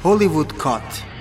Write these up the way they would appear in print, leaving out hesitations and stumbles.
Hollywood Cut.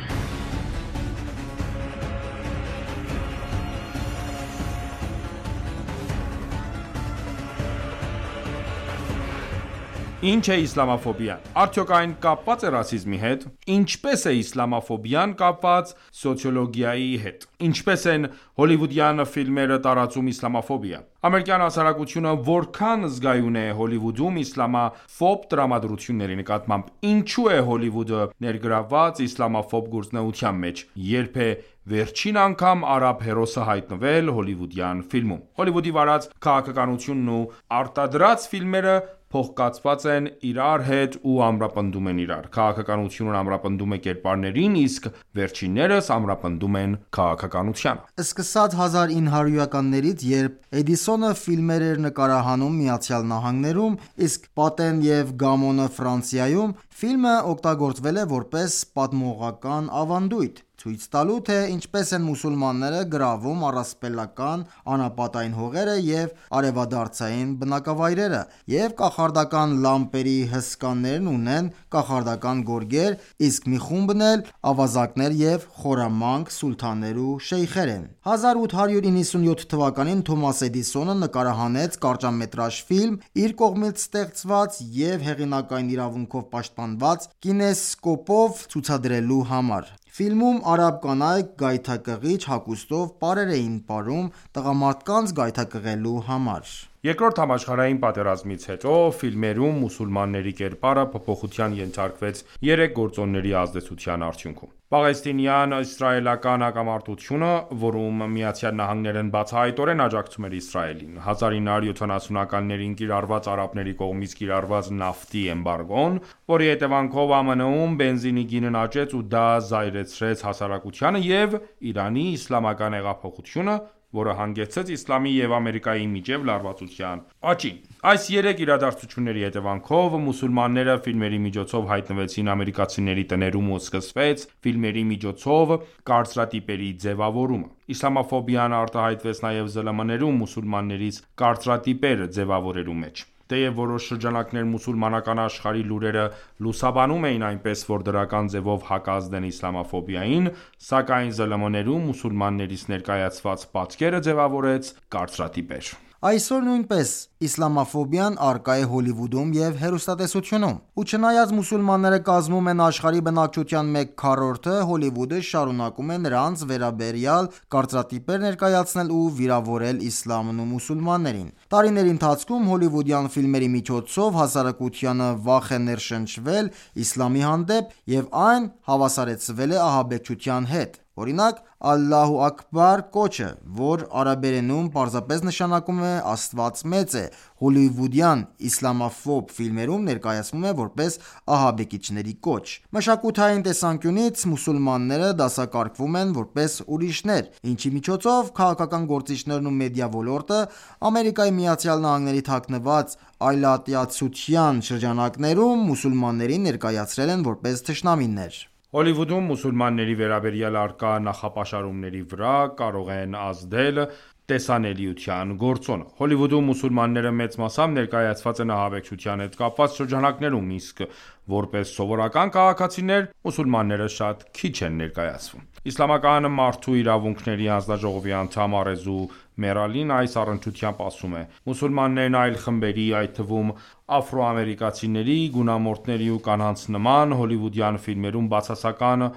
Ինչ է իսլամաֆոբիան։ Արդյոք այն կապված է ռասիզմի հետ։ Ինչպես է իսլամաֆոբիան կապված սոցիոլոգիայի հետ։ Ինչպես են հոլիվուդյան ֆիլմերը տարածում իսլամաֆոբիա։ Ամերիկյան հասարակությունը որքան զգայուն է Հոլիվուդում իսլամաֆոբ տրամադրությունների նկատմամբ։ Ինչու է Հոլիվուդը ներգրավված իսլամաֆոբ գործունեության մեջ։ Երբ է վերջին անգամ արաբ հերոսը հայտնվել հոլիվուդյան ֆիլմում։ Հոլիվուդի վարած քաղաքականությունն ու արտադրած ֆիլմերը փոխկացված են իրար հետ ու ամրապնդում են իրար։ Քաղաքականությունն ամրապնդում է կերպարներին, իսկ վերջիններս ամրապնդում են քաղաքականությանը։ Սկսած 1900-ականներից, երբ Էդիսոնը ֆիլմեր էր նկարահանում Միացյալ Նահանգներում, իսկ Պատեն և Գամոնը Ֆրանսիայում, ֆիլմը օգտագործվել է որպես պատմողական ավանդույթ, ցույց տալու, թե ինչպես են մուսուլմանները գրավում առասպելական անապատային հողերը և արևադարձային բնակավայրերը, և կախարդական լամպերի հսկաներն ունեն կախարդական գորգեր, իսկ մի խումբն էլ ավազակներ և խորամանկ սուլթաններ ու շեյխեր են։ 1897 թվականին Թոմաս Էդիսոնը նկարահանեց կարճամետրաժ ֆիլմ՝ իր կողմից ստեղծված և հեղինակային իրավունքով պաշտպանված կինեսկոպով ցուցադրելու համար։ Ֆիլմում արաբ կանայք գայթակղիչ հագուստով պարեր էին պարում տղամարդկանց գայթակղելու համար։ Երկրորդ համաշխարհային պատերազմից հետո ֆիլմերում մուսուլմանների կերպարը փոփոխության ենթարկվեց երեք գործոնների ազդեցության արդյունքում։ Պաղեստինյան-իսրայելական հակամարտությունը, որում ԱՄՆ-ն բացահայտորեն աջակցում էր Իսրայելին, 1970-ականներին կիրառված արաբների կողմից կիրառված նավթի էմբարգոն, որի հետևանքով ԱՄՆ-ում բենզինի գինն աճեց ու դա զայրացրեց հասարակությանը, և Իրանի իսլամական հեղափոխությունը, որը հանգեցրեց իսլամի և Ամերիկայի միջև լարվածության աճին։ Այս երեք իրադարձությունների հետևանքով մուսուլմանները ֆիլմերի միջոցով հայտնվեցին ամերիկացիների տներում ու սկսվեց ֆիլմերի միջոցով կարծրատիպերի ձևավորումը։ Իսլամաֆոբիան արտահայտվեց նաև ԶԼՄ-ներում մուսուլմաններից կարծրատիպեր ձևավորելու մեջ։ Թեև որոշ շրջանակներ մուսուլմանական աշխարհի լուրերը լուսաբանում էին այնպես, որ դրական ձևով հակազդեն իսլամաֆոբիային, սակայն ԶԼՄ-ներում մուսուլմաններից ներկայացված պատկերը ձևավորեց կարծրատիպեր։ Այսօր նույնպես իսլամաֆոբիան առկա է Հոլիվուդում և հեռուստատեսությունում։ Ու չնայած մուսուլմանները կազմում են աշխարհի բնակչության 1/4, Հոլիվուդը շարունակում է նրանց վերաբերյալ կարծրատիպեր ներկայացնել ու վիրավորել իսլամն ու մուսուլմաններին։ Տարիների ընթացքում հոլիվուդյան ֆիլմերի միջոցով հասարակությանը վախ է ներշնչվել իսլամի հանդեպ և այն հավասարեցվել է ահաբեկչության հետ։ Օրինակ, «Ալլահու Աքբար» կոչը, որ արաբերենում պարզապես նշանակում է «Աստված մեծ է», հոլիվուդյան իսլամաֆոբ ֆիլմերում ներկայացվում է որպես ահաբեկիչների կոչ։ Մշակութային տեսանկյունից մուսուլմանները դասակարգվում են որպես ուրիշներ, ինչի միջոցով քաղաքական գործիչներն ու մեդիա ոլորտը ԱՄՆ-ի թաքնված այլատյացության շրջանակներում մուսուլմաններին ներկայացրել են որպես թշնամիներ։ Հոլիվուդում մուսուլմանների վերաբերյալ առկա նախապաշարումների վրա կարող են ազդել տեսանելիության գործոնը։ Հոլիվուդում մուսուլմանները մեծ մասամբ ներկայացված են ահաբեկչության հետ կապված շրջանակներում, իսկ որպես սովորական քաղաքացիներ մուսուլմանները շատ քիչ են ներկայացվում։ Իսլամական մարդու իրավունքների հանձնաժողովի անդամ Արեզու Մերալին այս առնչությամբ ասում է. «Մուսուլմաններն այլ խմբերի, այդ թվում աֆրոամերիկացիների, գունամորթների ու կանանց նման, հոլիվուդյան ֆիլմերում բացասական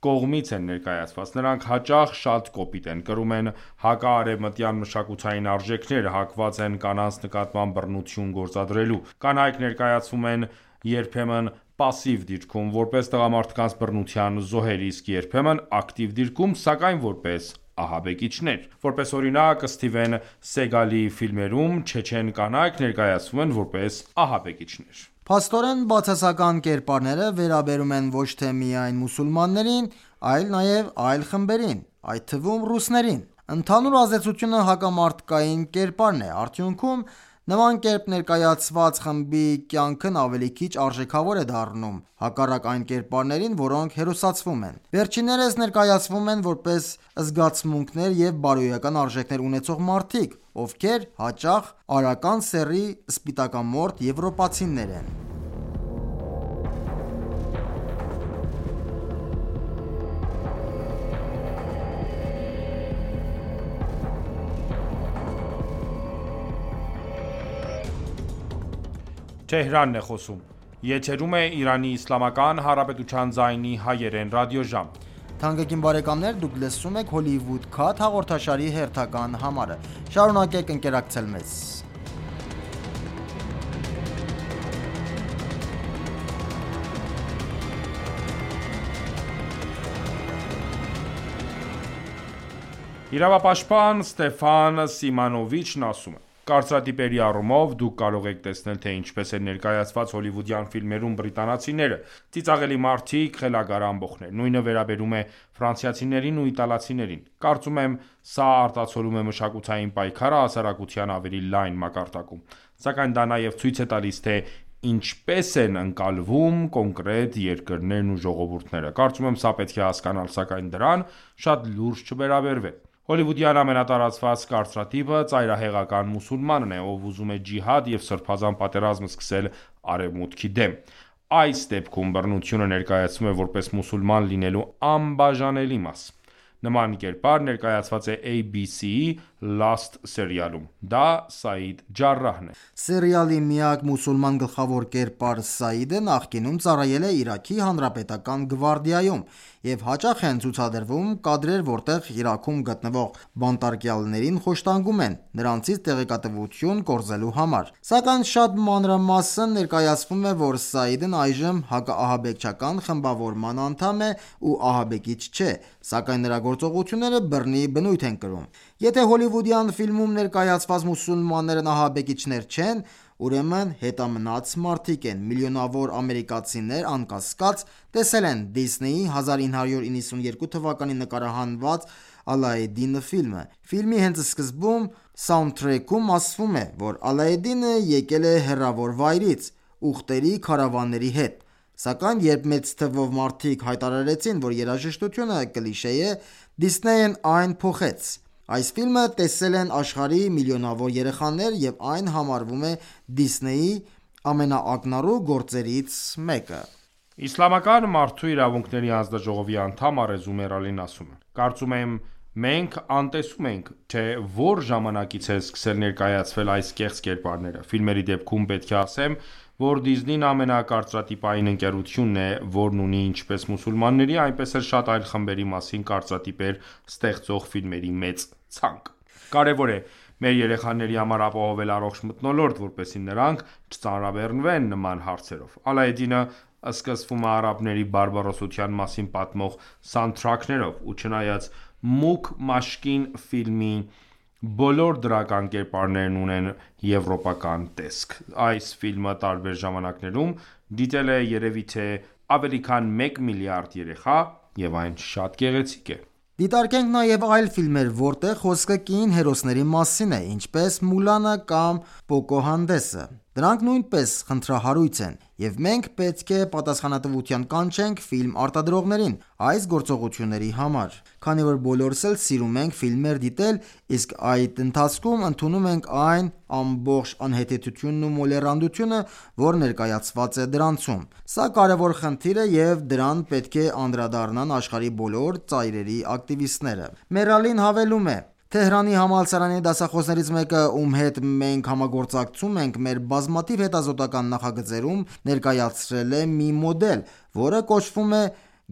կողմից են ներկայացված։ Նրանք հաճախ շատ կոպիտ են, կրում են հակաարևմտյան մշակութային արժեքներ, հակված են կանանց նկատմամբ բռնություն գործադրելու։ Կանայք ներկայացվում են երբեմն պասիվ դիրքում, որպես տղամարդկանց բռնության զոհեր, իսկ երբեմն ակտիվ դիրքում, սակայն որպես ահաբեկիչներ։ Որպես օրինակ, Սթիվեն Սեգալի ֆիլմերում չեչեն կանայք ներկայացվում են որպես ահաբեկիչներ»։ Փաստորեն, բացասական կերպարները վերաբերում են ոչ թե միայն մուսուլմաններին, այլ նաև այլ խմբերին, այդ թվում ռուսներին։ Ընդհանուր ազդեցությունը հակամարտկային կերպարն է։ Արդյունքում, նման կերպ ներկայացված խմբի կյանքն ավելի քիչ արժեքավոր է դառնում, հակառակ այն կերպարներին, որոնք հերոսացվում են։ Վերջիններս ներկայացվում են որպես զգացմունքներ և բարոյական արժեքներ ունեցող մարդիկ, ովքեր հաճախ արական սեռի սպիտակամորթ եվրոպացիներ են։ Թեհրանն է խոսում։ Եթերում է Իրանի Իսլամական Հանրապետության ձայնի հայերեն ռադիոժամ։ Թանկագին բարեկամներ, դուք լսում եք Hollywood Cut հաղորդաշարի հերթական համարը։ Շարունակեք ընկերակցել մեզ։ Իրավապաշտպան Ստեֆան Սիմանովիչն ասում է. Կարծրատիպերի առումով դուք կարող եք տեսնել, թե ինչպես է ներկայացված հոլիվուդյան ֆիլմերում բրիտանացիները, ծիծաղելի մարդիկ, խելագար ամբոխներ։ Նույնը վերաբերում է ֆրանսիացիներին ու իտալացիներին։ Կարծում եմ, սա արտացոլում է մշակութային պայքարը հասարակության ավելի լայն մակարդակում։ Սակայն դա նաև ցույց է տալիս, թե ինչպես են ընկալվում կոնկրետ երկրներն ու ժողովուրդները։ Կարծում եմ, սա պետք է հասկանալ, սակայն դրան շատ լուրջ չվերաբերվել։ Հոլիվուդյան ամենատարածված կարծրատիպը ծայրահեղական մուսուլմանն է, ով ուզում է ջիհադ և սրբազան պատերազմ սկսել Արևմուտքի դեմ։ Այս դեպքում բռնությունը ներկայացվում է որպես մուսուլման լինելու անբաժանելի մաս։ Նման կերպար ներկայացված է ABC-ի Lost սերիալում։ Դա Սաիդ Ջարրահն է։ Սերիալի միակ մուսուլման գլխավոր կերպար Սաիդը նախկինում ծառայել է Իրաքի հանրապետական գվարդիայում և հաճախ են ցուցադրվում կադրեր, որտեղ Իրաքում գտնվող բանտարկյալներին խոշտանգում են, նրանցից տեղեկատվություն կորզելու համար։ Սակայն շատ մանրամասն ներկայացվում է, որ Սաիդն այժմ հակաահաբեկչական խմբավորման անդամ է ու ահաբեկիչ չէ, սակայն նրա գործողությունները բռնի բնույթ են կրում։ Եթե հոլիվուդյան ֆիլմում ներկայացված մուսուլմաններն ահաբեկիչներ չեն, ուրեմն հետամնաց մարդիկ են։ Միլիոնավոր ամերիկացիներ անկասկած տեսել են Դիսնեյի 1992 թվականին նկարահանված Ալայեդինը ֆիլմը։ Ֆիլմի հենց սկզբում սաունդթրեքում ասվում է, որ Ալայեդինը եկել է հեռավոր վայրից՝ ուղտերի քարավանների հետ։ Սակայն երբ մեծ թվով մարդիկ հայտարարեցին, որ երաժշտությունը կլիշե է, Դիսնեյն այն փոխեց։ Այս ֆիլմը տեսել են աշխարհի միլիոնավոր երեխաներ և այն համարվում է Դիսնեյի ամենաակնառու գործերից մեկը։ Իսլամական մարդու իրավունքների հանձնաժողովի անդամ Արեզու Մերալին ասում է. Կարծում եմ, մենք անտեսում ենք, թե որ ժամանակից է սկսել ներկայացվել այս կեղծ կերպարները։ Ֆիլմերի դեպքում պետք է ասեմ, որ Դիզնին ամենակարծրատիպային ընկերությունն է, որն ունի ինչպես մուսուլմանների, այնպես էլ շատ այլ խմբերի մասին կարծրատիպեր ստեղծող ֆիլմերի մեծ ցանկ։ Կարևոր է մեր երեխաների համար ապահովել առողջ մթնոլորտ, որպեսզի նրանք չծանրաբեռնվեն նման հարցերով։ Ալայեդինը սկսվում է արաբների բարբարոսության մասին պատմող սաունդթրաքներով, ու չնայած Մուկ Մաշկին ֆիլմի բոլոր դրական կերպարներն ունեն եվրոպական տեսք։ Այս ֆիլմը տարբեր ժամանակներում դիտել է երևի թե ավելի քան 1 միլիարդ երեխա, և այն շատ գեղեցիկ է։ Դիտարկենք նաև այլ ֆիլմեր, որտեղ խոսքը կին հերոսների մասին է, ինչպես Մուլանը կամ Պոկոհանտեսը։ Դրանք նույնպես խնդրահարույց են, և մենք պետք է պատասխանատվության կանչենք ֆիլմ արտադրողներին այս գործողությունների համար։ Քանի որ բոլորս էլ սիրում ենք ֆիլմեր դիտել, իսկ այդ ընթացքում ընդունում ենք այն ամբողջ անհեթեթությունն ու մոլեռանդությունը, որ ներկայացված է դրանցում։ Սա կարևոր խնդիր է և դրան պետք է անդրադառնան աշխարհի բոլոր ծայրերի ակտիվիստները։ Մերալին հավելում է. Թեհրանի համալսարանի դասախոսներից մեկը, ում հետ մենք համագործակցում ենք մեր բազմաթիվ հետազոտական նախագծերում, ներկայացրել է մի մոդել, որը կոչվում է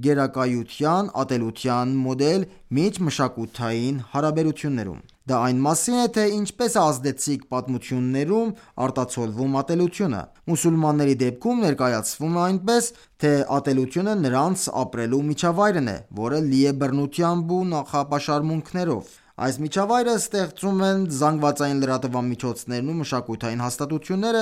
գերակայության ատելության մոդել միջմշակութային հարաբերություններում։ Դա այն մասին է, թե ինչպես է ազդեցիկ պատմություններում արտացոլվում ատելությունը։ Մուսուլմանների դեպքում ներկայացվում է այնպես, թե ատելությունը նրանց ապրելու միջավայրն է, որը լի է բռնությամբ ու նախապաշարմունքներով։ Այս միջավայրը ստեղծում են զանգվածային լրատվամիջոցներն ու մշակութային հաստատությունները,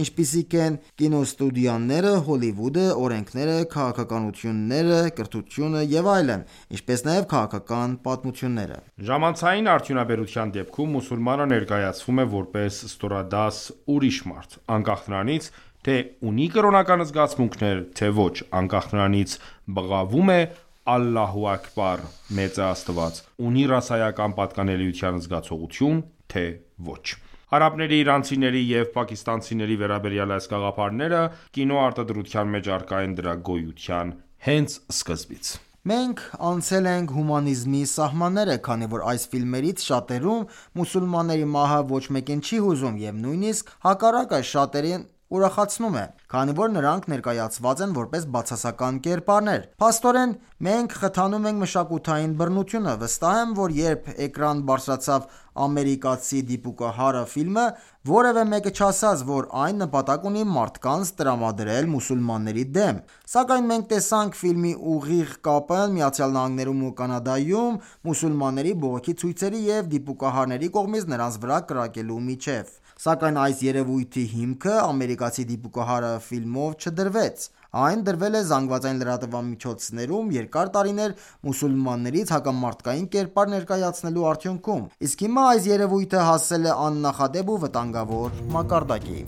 ինչպիսիք են կինոստուդիաները, Հոլիվուդը, օրենքները, քաղաքականությունները, կրթությունը և այլն, ինչպես նաև քաղաքական պատմությունները։ Ժամանցային արդյունաբերության դեպքում մուսուլմանը ներկայացվում է որպես ստորադաս ուրիշ մարդ, անկախ նրանից, թե ունի կրոնական զգացմունքներ, թե ոչ, անկախ նրանից բղավում է Ալլահու Աքբար, մեծ է Աստված, ունի ռասայական պատկանելիության զգացողություն, թե ոչ։ Արաբների, իրանցիների և պակիստանցիների վերաբերյալ այս գաղափարները կինոարտադրության մեջ առկա են դրա գոյության հենց սկզբից։ Մենք անցել ենք հումանիզմի սահմանները, քանի որ այս ֆիլմերից շատերում մուսուլմանների մահը ոչ մեկին չի հուզում, և նույնիսկ հակառակը, շատերին ուրախացնում է, քանի որ նրանք ներկայացված են որպես բացասական կերպարներ։ Փաստորեն, մենք խթանում ենք մշակութային բռնությունը։ Վստահ եմ, որ երբ էկրան բարձրացավ «Ամերիկացի դիպուկահարը» ֆիլմը, որևէ մեկը չասաց, որ այն նպատակ ունի մարդկանց տրամադրել մուսուլմանների դեմ։ Սակայն մենք տեսանք ֆիլմի ուղիղ կապը ԱՄՆ-ում ու Կանադայում մուսուլմանների բողոքի ցույցերի և դիպուկահարների կողմից նրանց վրա կրակելու միջև։ Սակայն այս երևույթի հիմքը «Ամերիկացի դիպուկահարը» ֆիլմով չդրվեց։ Այն դրվել է ԶԼՄ-ներում երկար տարիներ մուսուլմաններից հակամարտկային կերպար ներկայացնելու արդյունքում։ Իսկ հիմա այս երևույթը հասել է աննախադեպ ու վտանգավոր մակարդակի։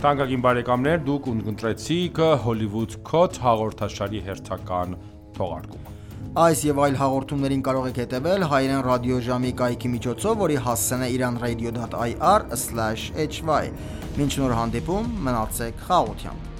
Թանկագին բարեկամներ, դուք ունկնդրեցիք Hollywood Code հաղորդաշարի հերթական թողարկումը։ Այս եւ այլ հաղորդումներին կարող եք հետևել հայերեն ռադիոժամի կայքի միջոցով, որի հասցեն է iranradio.ir/hy։ Մինչ նոր հանդիպում, մնացեք խաղաղությամբ։